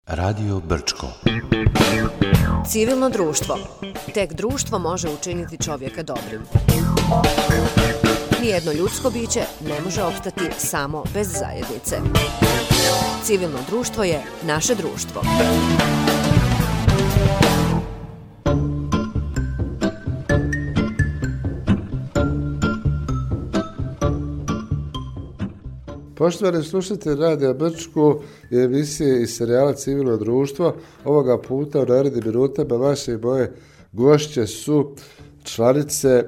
Radio Brčko. Civilno društvo. Tek društvo može učiniti čovjeka dobrim. Nijedno ljudsko biće ne može opstati samo bez zajednice. Civilno društvo je naše društvo. Poštovani slušatelji Radija Brčko i emisije iz serijala Civilno društvo, ovoga puta u narednim minutama vaše i moje gošće su članice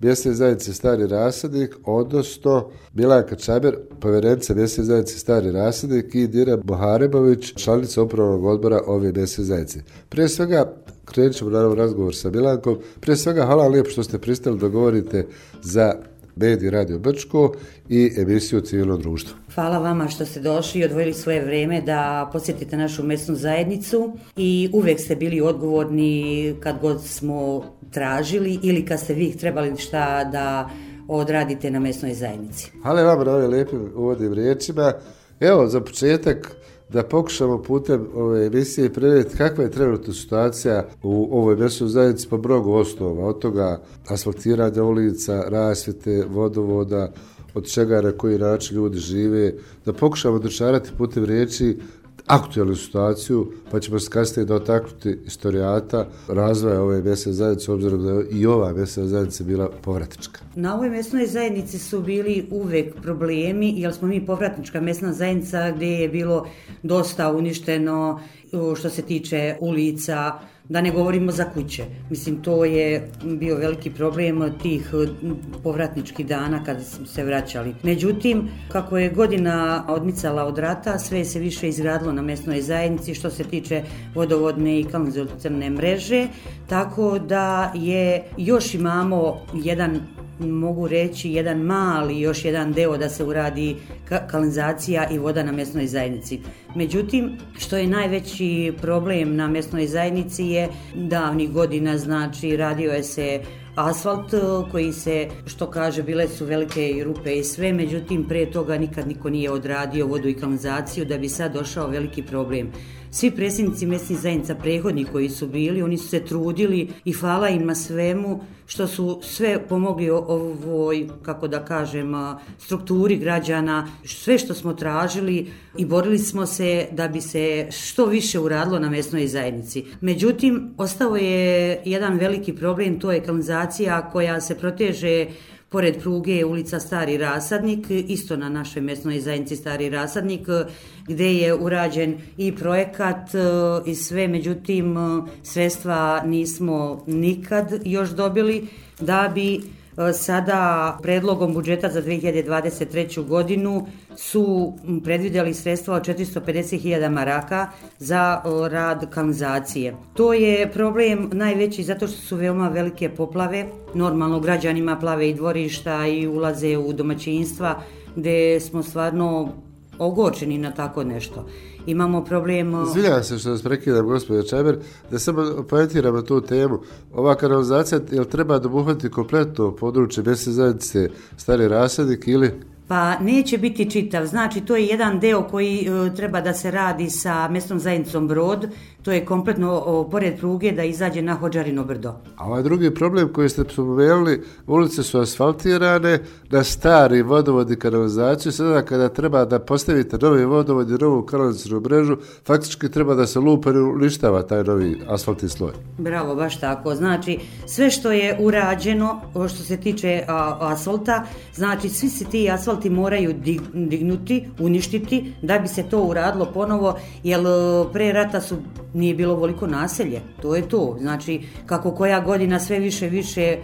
Mjesne zajednice Stari Rasadnik, odnosno Milanka Čaber, povjerenica Mjesne zajednice Stari Rasadnik, i Dina Muharemović, članica upravnog odbora ove Mjesne zajednice. Prije svega, krenut ćemo naravno razgovor sa Milankom. Prije svega, hvala lijepo što ste pristali da govorite za medij Radio Brčko i emisiju Civilno društvo. Hvala vama što ste došli i odvojili svoje vrijeme da posjetite našu mesnu zajednicu i uvijek ste bili odgovorni kad god smo tražili ili kad ste vi trebali šta da odradite na mesnoj zajednici. Hvala vam na ovim lijepim uvodnim riječima. Evo, za početak da pokušamo putem ove emisije prenijeti kakva je trenutna situacija u ovoj mesnoj zajednici po mnogo osnova, od toga asfaltiranja ulica, rasvjete, vodovoda, od čega na koji način ljudi žive, da pokušamo dočarati putem riječi aktualnu situaciju, pa ćemo se kasnije dotaknuti istorijata razvoja ove mesne zajednice, obzirom da je i ova mesna zajednica bila povratnička. Na ovoj mesnoj zajednici su bili uvijek problemi, jer smo mi povratnička mesna zajednica gdje je bilo dosta uništeno što se tiče ulica, da ne govorimo za kuće. Mislim, to je bio veliki problem tih povratničkih dana kada smo se vraćali. Međutim, kako je godina odmicala od rata, sve se više izgradilo na mesnoj zajednici što se tiče vodovodne i kanalizacione mreže, tako da je još imamo mogu reći jedan mali, još jedan deo da se uradi kanalizacija i voda na mesnoj zajednici. Međutim, što je najveći problem na mesnoj zajednici je davnih godina, znači radio je se asfalt koji se, što kaže, bile su velike i rupe i sve, međutim prije toga nikad niko nije odradio vodu i kanalizaciju, da bi sad došao veliki problem. Svi predsjednici mesnih zajednica prethodni koji su bili, oni su se trudili i hvala im na svemu što su sve pomogli ovoj, kako da kažem, strukturi građana, sve što smo tražili i borili smo se da bi se što više uradilo na mesnoj zajednici. Međutim, ostao je jedan veliki problem, to je kanalizacija koja se proteže pored pruge ulica Stari Rasadnik, isto na našoj mesnoj zajednici Stari Rasadnik, gdje je urađen i projekat i sve, međutim sredstva nismo nikad još dobili, da bi sada predlogom budžeta za 2023. godinu su predvidjeli sredstva od 450.000 maraka za rad kanalizacije. To je problem najveći zato što su veoma velike poplave. Normalno građanima plave i dvorišta i ulaze u domaćinstva gdje smo stvarno ogorčeni na tako nešto. Imamo problem... Izvinjavam se što vas prekidam, gospođo Čaber, da samo poentiramo tu temu. Ova kanalizacija, jel treba obuhvatiti kompletno područje mesne zajednice Stari Rasadnik ili... Pa neće biti čitav, znači to je jedan deo koji treba da se radi sa mesnom zajednicom Brod, to je kompletno pored pruge da izađe na Hodžarino brdo. A ovaj drugi problem koji ste spomenuli, ulice su asfaltirane, na stari vodovod i kanalizaciju, sada kada treba da postavite novi vodovod i novu kanalizacijnu mrežu, faktički treba da se lupa i uništava taj novi asfaltni sloj. Bravo, baš tako. Znači, sve što je urađeno, što se tiče asfalta, znači svi se ti asfalti moraju dignuti, uništiti, da bi se to uradilo ponovo, jer pre rata nije bilo voliko naselje, to je to. Znači, kako koja godina sve više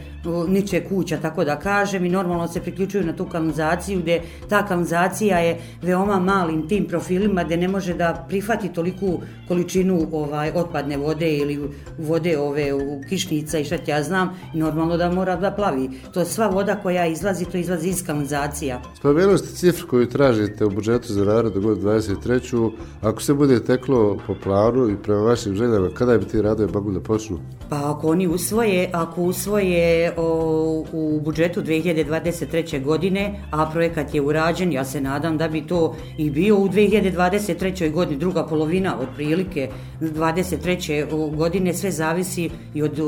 niče kuća, tako da kažem, i normalno se priključuju na tu kanalizaciju, gdje ta kanalizacija je veoma malim tim profilima, gdje ne može da prihvati toliku količinu otpadne vode ili vode u kišnica i šta ja znam, i normalno da mora da plavi. To je sva voda koja izlazi, to izlazi iz kanalizacija. Spomenuli ste cifru koju tražite u budžetu za narednu godinu 23. Ako se bude teklo po planu i prema prema vašim željama, kada bi ti radovi mogli da počnu? Pa ako usvoje u budžetu 2023. godine, a projekat je urađen, ja se nadam da bi to i bio u 2023. godini, druga polovina otprilike 2023. godine, sve zavisi i od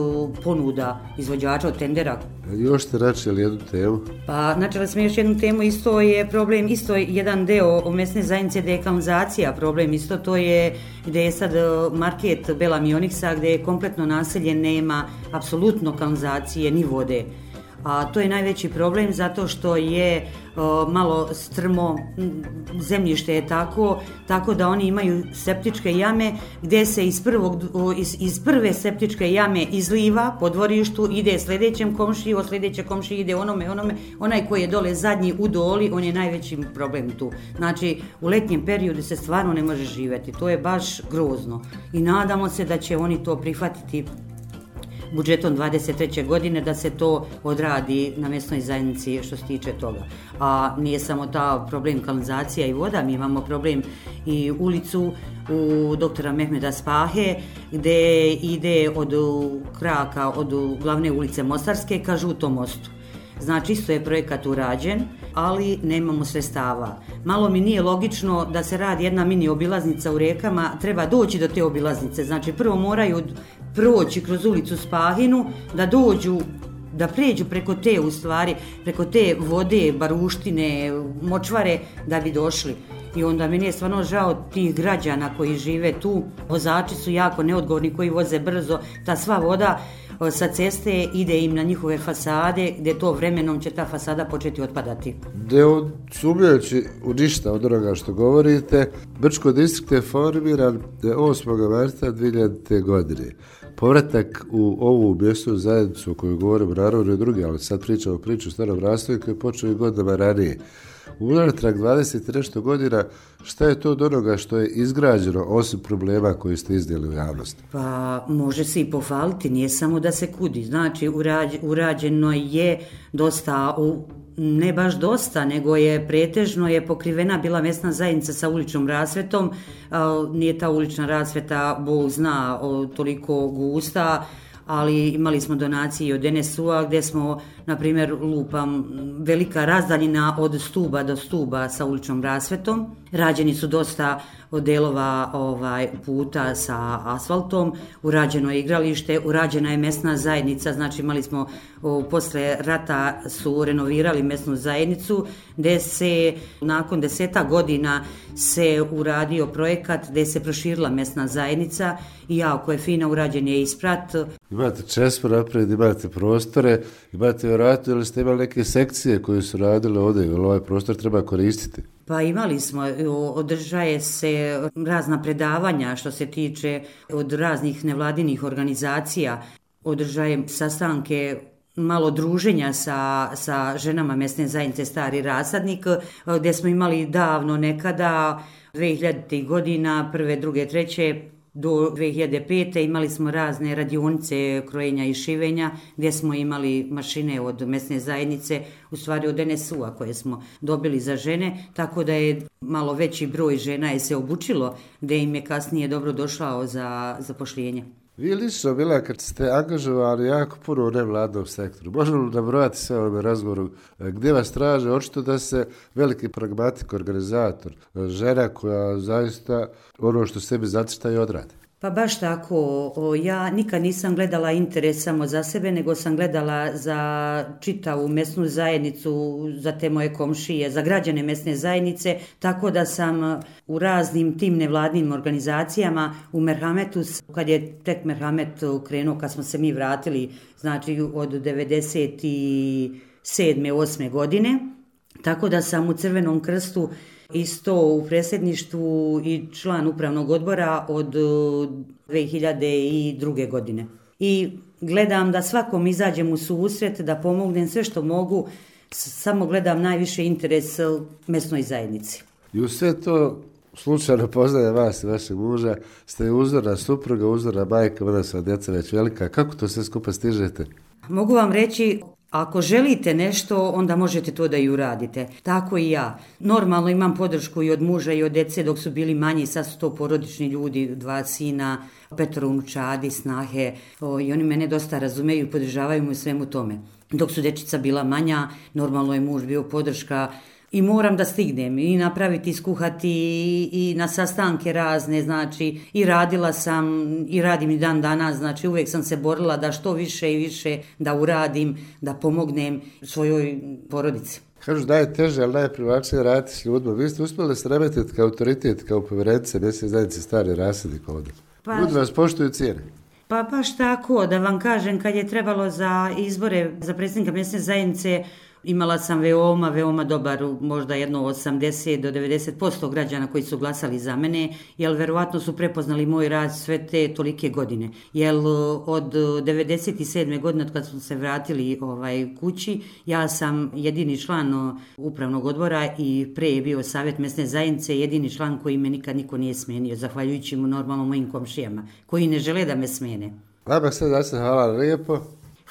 ponuda izvođača, od tendera. Još ste načeli jednu temu? Pa načeli smo još jednu temu, isto je problem, isto je jedan deo mesne zajednice gdje je kanalizacija problem, isto to je gdje je sad market Bela Mioniksa gdje je kompletno naselje, nema apsolutno kanalizacije ni vode. A to je najveći problem zato što je malo strmo, zemljište je tako da oni imaju septičke jame gdje se iz prve septičke jame izliva po dvorištu, ide sljedećem komšiji, od sljedeće komšije ide onome, onaj koji je dole zadnji u doli, on je najveći problem tu. Znači u letnjem periodu se stvarno ne može živjeti, to je baš grozno i nadamo se da će oni to prihvatiti budžetom 23. godine da se to odradi na mesnoj zajednici što se tiče toga. A nije samo ta problem kanalizacija i voda, mi imamo problem i ulicu u doktora Mehmeda Spahe gdje ide od kraka, od glavne ulice Mostarske ka Žutom mostu. Znači isto je projekat urađen, ali nemamo sredstava. Malo mi nije logično da se radi jedna mini obilaznica u Rijekama, treba doći do te obilaznice. Znači prvo moraju proći kroz ulicu Spahinu, da pređu preko te vode, baruštine, močvare da bi došli. I onda meni je stvarno žao tih građana koji žive tu. Vozači su jako neodgovorni koji voze brzo, ta sva voda sa ceste ide im na njihove fasade gdje to vremenom će ta fasada početi otpadati. Sumnjajući u ništa od onoga što govorite, Brčko distrikt je formiran 8. marta 2000. godine. Povratak u ovu mjesnu zajednicu o kojoj govorimo naravno i drugi, ali sad pričamo priču o Starom Rastoju koji je počeo i godinama ranije. Unatrag 20 i nešto godina, šta je to od onoga što je izgrađeno osim problema koji ste iznijeli u javnosti? Pa može se i pohvaliti, nije samo da se kudi. Znači urađeno je dosta, ne baš dosta, nego je pretežno je pokrivena bila mesna zajednica sa uličnom rasvetom. Nije ta ulična rasveta, Bog zna, toliko gusta, ali imali smo donacije od NSU-a gdje smo, na primjer, velika razdaljina od stuba do stuba sa uličnom rasvetom. Rađeni su dosta delova puta sa asfaltom, urađeno je igralište, urađena je mesna zajednica, znači imali smo, posle rata su renovirali mesnu zajednicu, gdje se nakon 10 godina se uradio projekat gdje se proširila mesna zajednica i jako je fina, urađen je isprat. Imate česmo naprijed, imate prostore, imate vjerojatno ili ste imali neke sekcije koje su radile ovdje, ili ovaj prostor treba koristiti? Pa imali smo, održaje se razna predavanja što se tiče od raznih nevladinih organizacija, održaje sastanke, malo druženja sa ženama mesne zajednice Stari Rasadnik, gdje smo imali davno nekada, 2000. godina, prve, druge, treće, do 2005. imali smo razne radionice krojenja i šivenja gdje smo imali mašine od mesne zajednice, u stvari od NSU-a koje smo dobili za žene, tako da je malo veći broj žena je se obučilo gdje im je kasnije dobro došao za zapošljenje. Vi lično, Mila, kad ste angažovali jako puno u nevladnom sektoru, možemo li nabrojati sve ovome razgovoru gdje vas traže, očito da se veliki pragmatik, organizator, žena koja zaista ono što sebi zacrta i odradi? Pa baš tako, ja nikad nisam gledala interes samo za sebe, nego sam gledala za čitavu mesnu zajednicu, za te moje komšije, za građane mesne zajednice, tako da sam u raznim tim nevladnim organizacijama u Merhametu, kad je tek Merhamet krenuo, kad smo se mi vratili, znači od 97. 8. godine, tako da sam u Crvenom krstu isto u predsjedništvu i član upravnog odbora od 2002. godine. I gledam da svakom izađem u susret, da pomognem sve što mogu, samo gledam najviše interes mesnoj zajednici. I u sve to slučajno poznaje vas i vašeg muža, ste uzorna supruga, uzorna majka, ona sva djeca već velika. Kako to sve skupa stižete? Mogu vam reći, Ako želite nešto, onda možete to da i uradite. Tako i ja. Normalno imam podršku i od muža i od dece dok su bili manji, sad su to porodični ljudi, 2 sina, 5 unučadi, snahe, i oni mene dosta razumeju i podržavaju me u svemu tome. Dok su dečica bila manja, normalno je muž bio podrška i moram da stignem i napraviti, skuhati i na sastanke razne, znači i radila sam i radim i dan danas, znači uvijek sam se borila da što više i više da uradim, da pomognem svojoj porodici. Kažu da je teže, ali najprivlačnije raditi s ljudima. Vi ste uspjeli da se remetiti kao autoritet, kao povjerenice mjesne zajednice Stari rasadnik ovdje. Ljudi vas poštuju cijene. Pa baš tako, da vam kažem, kad je trebalo za izbore za predsjednika mjesne zajednice, imala sam veoma dobar, možda jedno 80 do 90% građana koji su glasali za mene, jer verovatno su prepoznali moj rad sve te tolike godine. Jer od 97. godine, od kad smo se vratili kući, ja sam jedini član upravnog odbora i pre je bio savjet mjesne zajednice, jedini član koji me nikad niko nije smenio, zahvaljujući mu normalno mojim komšijama, koji ne žele da me smene. Vama sad da se hvala lijepo.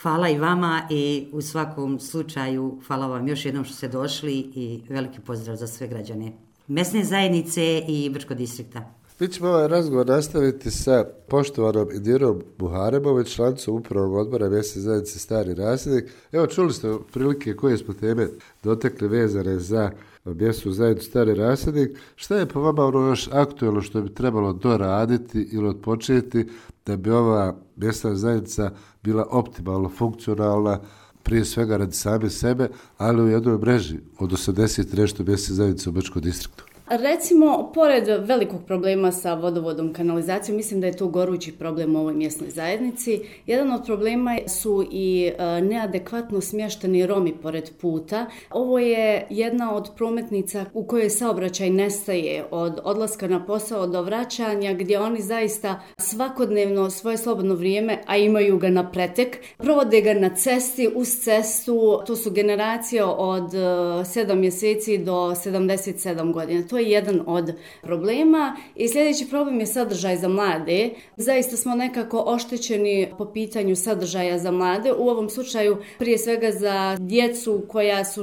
Hvala i vama i u svakom slučaju hvala vam još jednom što ste došli i veliki pozdrav za sve građane mesne zajednice i Brčkog distrikta. Mi ćemo ovaj razgovor nastaviti sa poštovanom Indirom Buharemović, članicom upravnog odbora mesne zajednice Stari rasadnik. Evo, čuli ste prilike koje smo teme dotekli vezane za mjesnu zajednicu Stari rasadnik. Šta je po vama ono još aktualno što bi trebalo doraditi ili odpočeti da bi ova mjesna zajednica bila optimalno funkcionalna, prije svega radi same sebe, ali u jednoj mreži od 80 nešto mjesne zajednice u Brčkom distriktu? Recimo, pored velikog problema sa vodovodom, kanalizacijom, mislim da je to gorući problem u ovoj mjesnoj zajednici. Jedan od problema su i neadekvatno smješteni Romi pored puta. Ovo je jedna od prometnica u kojoj saobraćaj nestaje od odlaska na posao do vraćanja, gdje oni zaista svakodnevno svoje slobodno vrijeme, a imaju ga na pretek, provode ga na cesti, uz cestu. To su generacije od 7 mjeseci do 77 godina. To je jedan od problema. I sljedeći problem je sadržaj za mlade. Zaista smo nekako oštećeni po pitanju sadržaja za mlade. U ovom slučaju prije svega za djecu koja su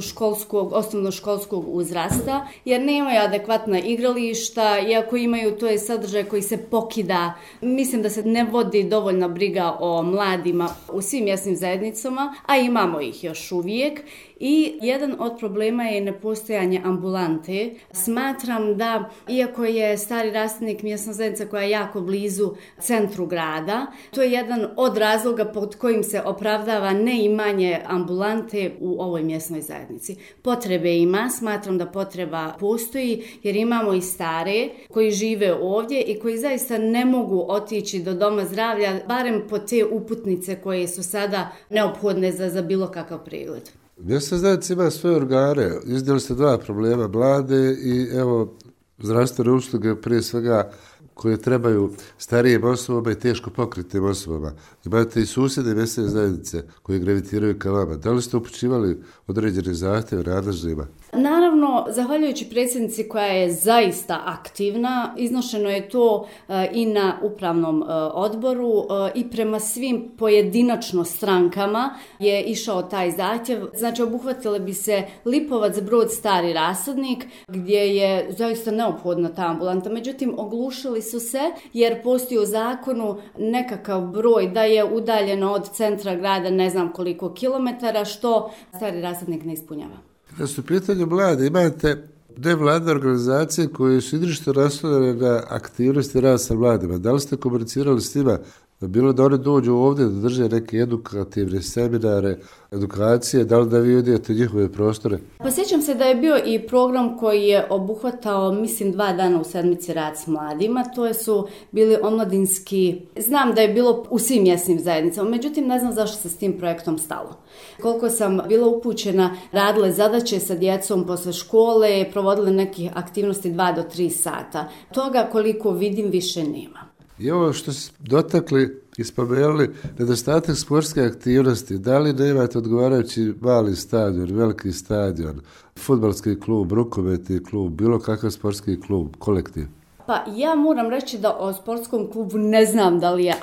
osnovnoškolskog uzrasta, jer nemaju adekvatna igrališta, i ako imaju, to je sadržaj koji se pokida. Mislim da se ne vodi dovoljna briga o mladima u svim mjesnim zajednicama, a imamo ih još uvijek. I jedan od problema je nepostojanje ambulante. Smatram da, iako je Stari rasadnik mjesna zajednica koja je jako blizu centru grada, to je jedan od razloga pod kojim se opravdava neimanje ambulante u ovoj mjesnoj zajednici. Potrebe ima, smatram da potreba postoji, jer imamo i stare koji žive ovdje i koji zaista ne mogu otići do doma zdravlja, barem po te uputnice koje su sada neophodne za bilo kakav pregled. Mjesna zajednica ima svoje organe, iznijeli ste 2 problema, mlade i evo zdravstvene usluge prije svega koje trebaju starijim osobama i teško pokretnim osobama. Imate i susjedne mjesne zajednice koje gravitiraju ka vama. Da li ste upućivali određene zahtjeve nadležnima? Naravno, zahvaljujući predsjednici koja je zaista aktivna, iznošeno je to i na upravnom odboru i prema svim pojedinačno strankama je išao taj zahtjev. Znači, obuhvatile bi se Lipovac, Brod, Stari rasadnik, gdje je zaista neophodna ta ambulanta. Međutim, oglušili su se jer postoji u zakonu nekakav broj da je udaljeno od centra grada ne znam koliko kilometara, što Stari rasadnik ne ispunjava. Da su u pitanju mlade, imate nevladne organizacije koje su izričito naslonjene na aktivnosti rada sa mladima. Da li ste komunicirali s njima? Bilo da oni dođu ovdje da drže neke edukativne seminare, edukacije, da li da vi odijete njihove prostore? Pa sjećam se da je bio i program koji je obuhvatao, mislim, 2 dana u sedmici rad s mladima. To su bili omladinski, znam da je bilo u svim mjesnim zajednicama, međutim ne znam zašto se s tim projektom stalo. Koliko sam bila upućena, radile zadaće sa djecom posle škole, provodile neke aktivnosti 2 do 3 sata. Toga koliko vidim više nema. I ovo što ste dotakli i spomenuli, nedostatak sportske aktivnosti, da li nemate odgovarajući mali stadion, veliki stadion, fudbalski klub, rukometni klub, bilo kakav sportski klub, kolektiv? Pa ja moram reći da o sportskom klubu ne znam da li je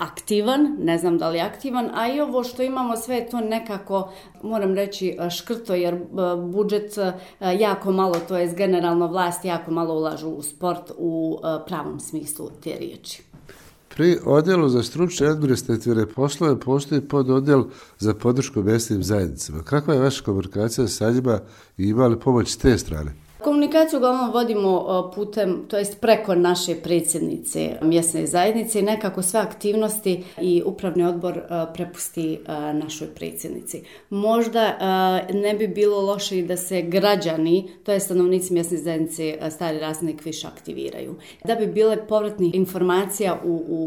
aktivan, a i ovo što imamo sve je to nekako, moram reći, škrto, jer budžet jako malo, to je generalno vlast jako malo ulažu u sport u pravom smislu te riječi. Pri odjelu za stručne administrativne poslove postoji pododjel za podršku mjesnim zajednicama. Kakva je vaša komunikacija sa njima i ima li pomoć s te strane? Komunikaciju uglavnom vodimo putem, to jest preko naše predsjednice mjesne zajednice i nekako sve aktivnosti i upravni odbor prepusti našoj predsjednici. Možda ne bi bilo loše i da se građani, to je stanovnici mjesne zajednice Stari Rasadnik, više aktiviraju. Da bi bile povratnih informacija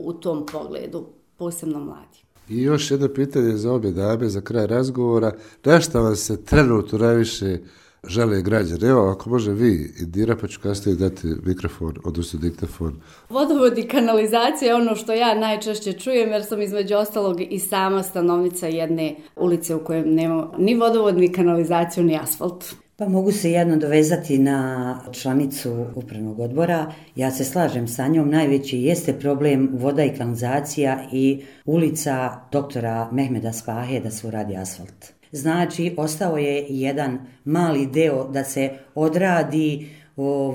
u tom pogledu, posebno mladi. I još jedno pitanje za obje dame za kraj razgovora. Na šta vam se trenutno najviše žele građani? Evo, ako može vi, Indira, pa ću kasnije dati mikrofon, odnosno diktafon. Vodovod i kanalizacija je ono što ja najčešće čujem, jer sam između ostalog i sama stanovnica jedne ulice u kojoj nema ni vodovod, ni kanalizaciju, ni asfalt. Pa mogu se jedno dovezati na članicu upravnog odbora. Ja se slažem sa njom, najveći jeste problem voda i kanalizacija i ulica doktora Mehmeda Spahe da se uradi asfalt. Znači, ostao je jedan mali deo da se odradi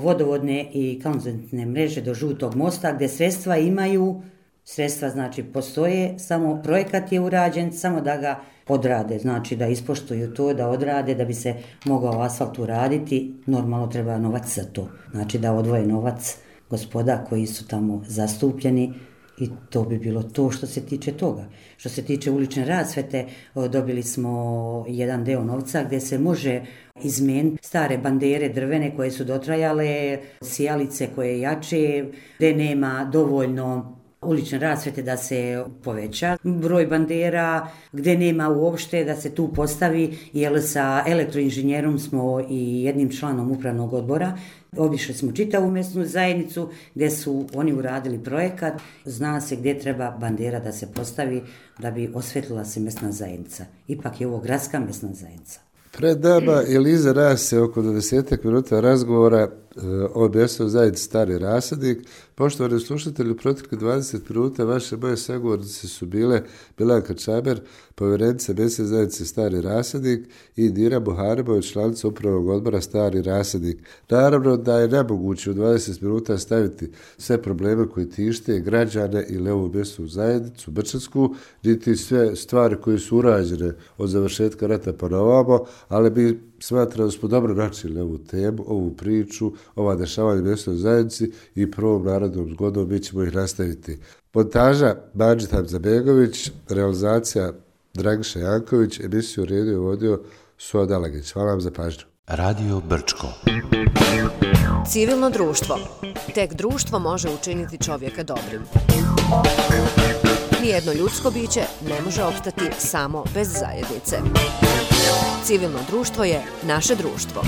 vodovodne i kanalizacijne mreže do Žutog mosta, gdje sredstva znači postoje, samo projekat je urađen, samo da ga odrade, znači da ispoštuju to, da odrade, da bi se mogao asfalt uraditi, normalno treba novac za to, znači da odvoje novac gospoda koji su tamo zastupljeni. I to bi bilo to što se tiče toga. Što se tiče ulične rasvete, dobili smo jedan deo novca gdje se može izmijeniti stare bandere drvene koje su dotrajale, sijalice koje jače, gdje nema dovoljno ulične rasvete da se poveća broj bandera, gdje nema uopšte da se tu postavi, jer sa elektroinženjerom smo i jednim članom upravnog odbora obišli smo čitavu mjesnu zajednicu gdje su oni uradili projekat, zna se gdje treba bandera da se postavi da bi osvetlila se mjesna zajednica. Ipak je ovo gradska mjesna zajednica. Pred nama ili iza nas se oko 20 minuta razgovora o mjesnoj zajednici Stari Rasadnik. Poštovani slušatelji, u proteklih 20 minuta vaše moje sagovornice su bile Milanka Čaber, povjerenica mjesne zajednice Stari Rasadnik, i Indira Buharimović, članica upravnog odbora Stari Rasadnik. Naravno da je nemoguće u 20 minuta staviti sve probleme koji tište građane ili ovu mjesnu zajednicu Brčansku, niti sve stvari koje su urađene od završetka rata pa na ovamo, ali bi smatram da smo dobro načeli ovu temu, ovu priču, ova dešavanja mjesnoj zajednici i prvom narodnom zgodom mi ćemo ih nastaviti. Montaža Mađid Hamzabegović, realizacija Dragiša Janković, emisiju redio i vodio Suad Alagić. Hvala vam za pažnju. Radio Brčko. Civilno društvo. Tek društvo može učiniti čovjeka dobrim. Nijedno ljudsko biće ne može opstati samo bez zajednice. Civilno društvo je naše društvo.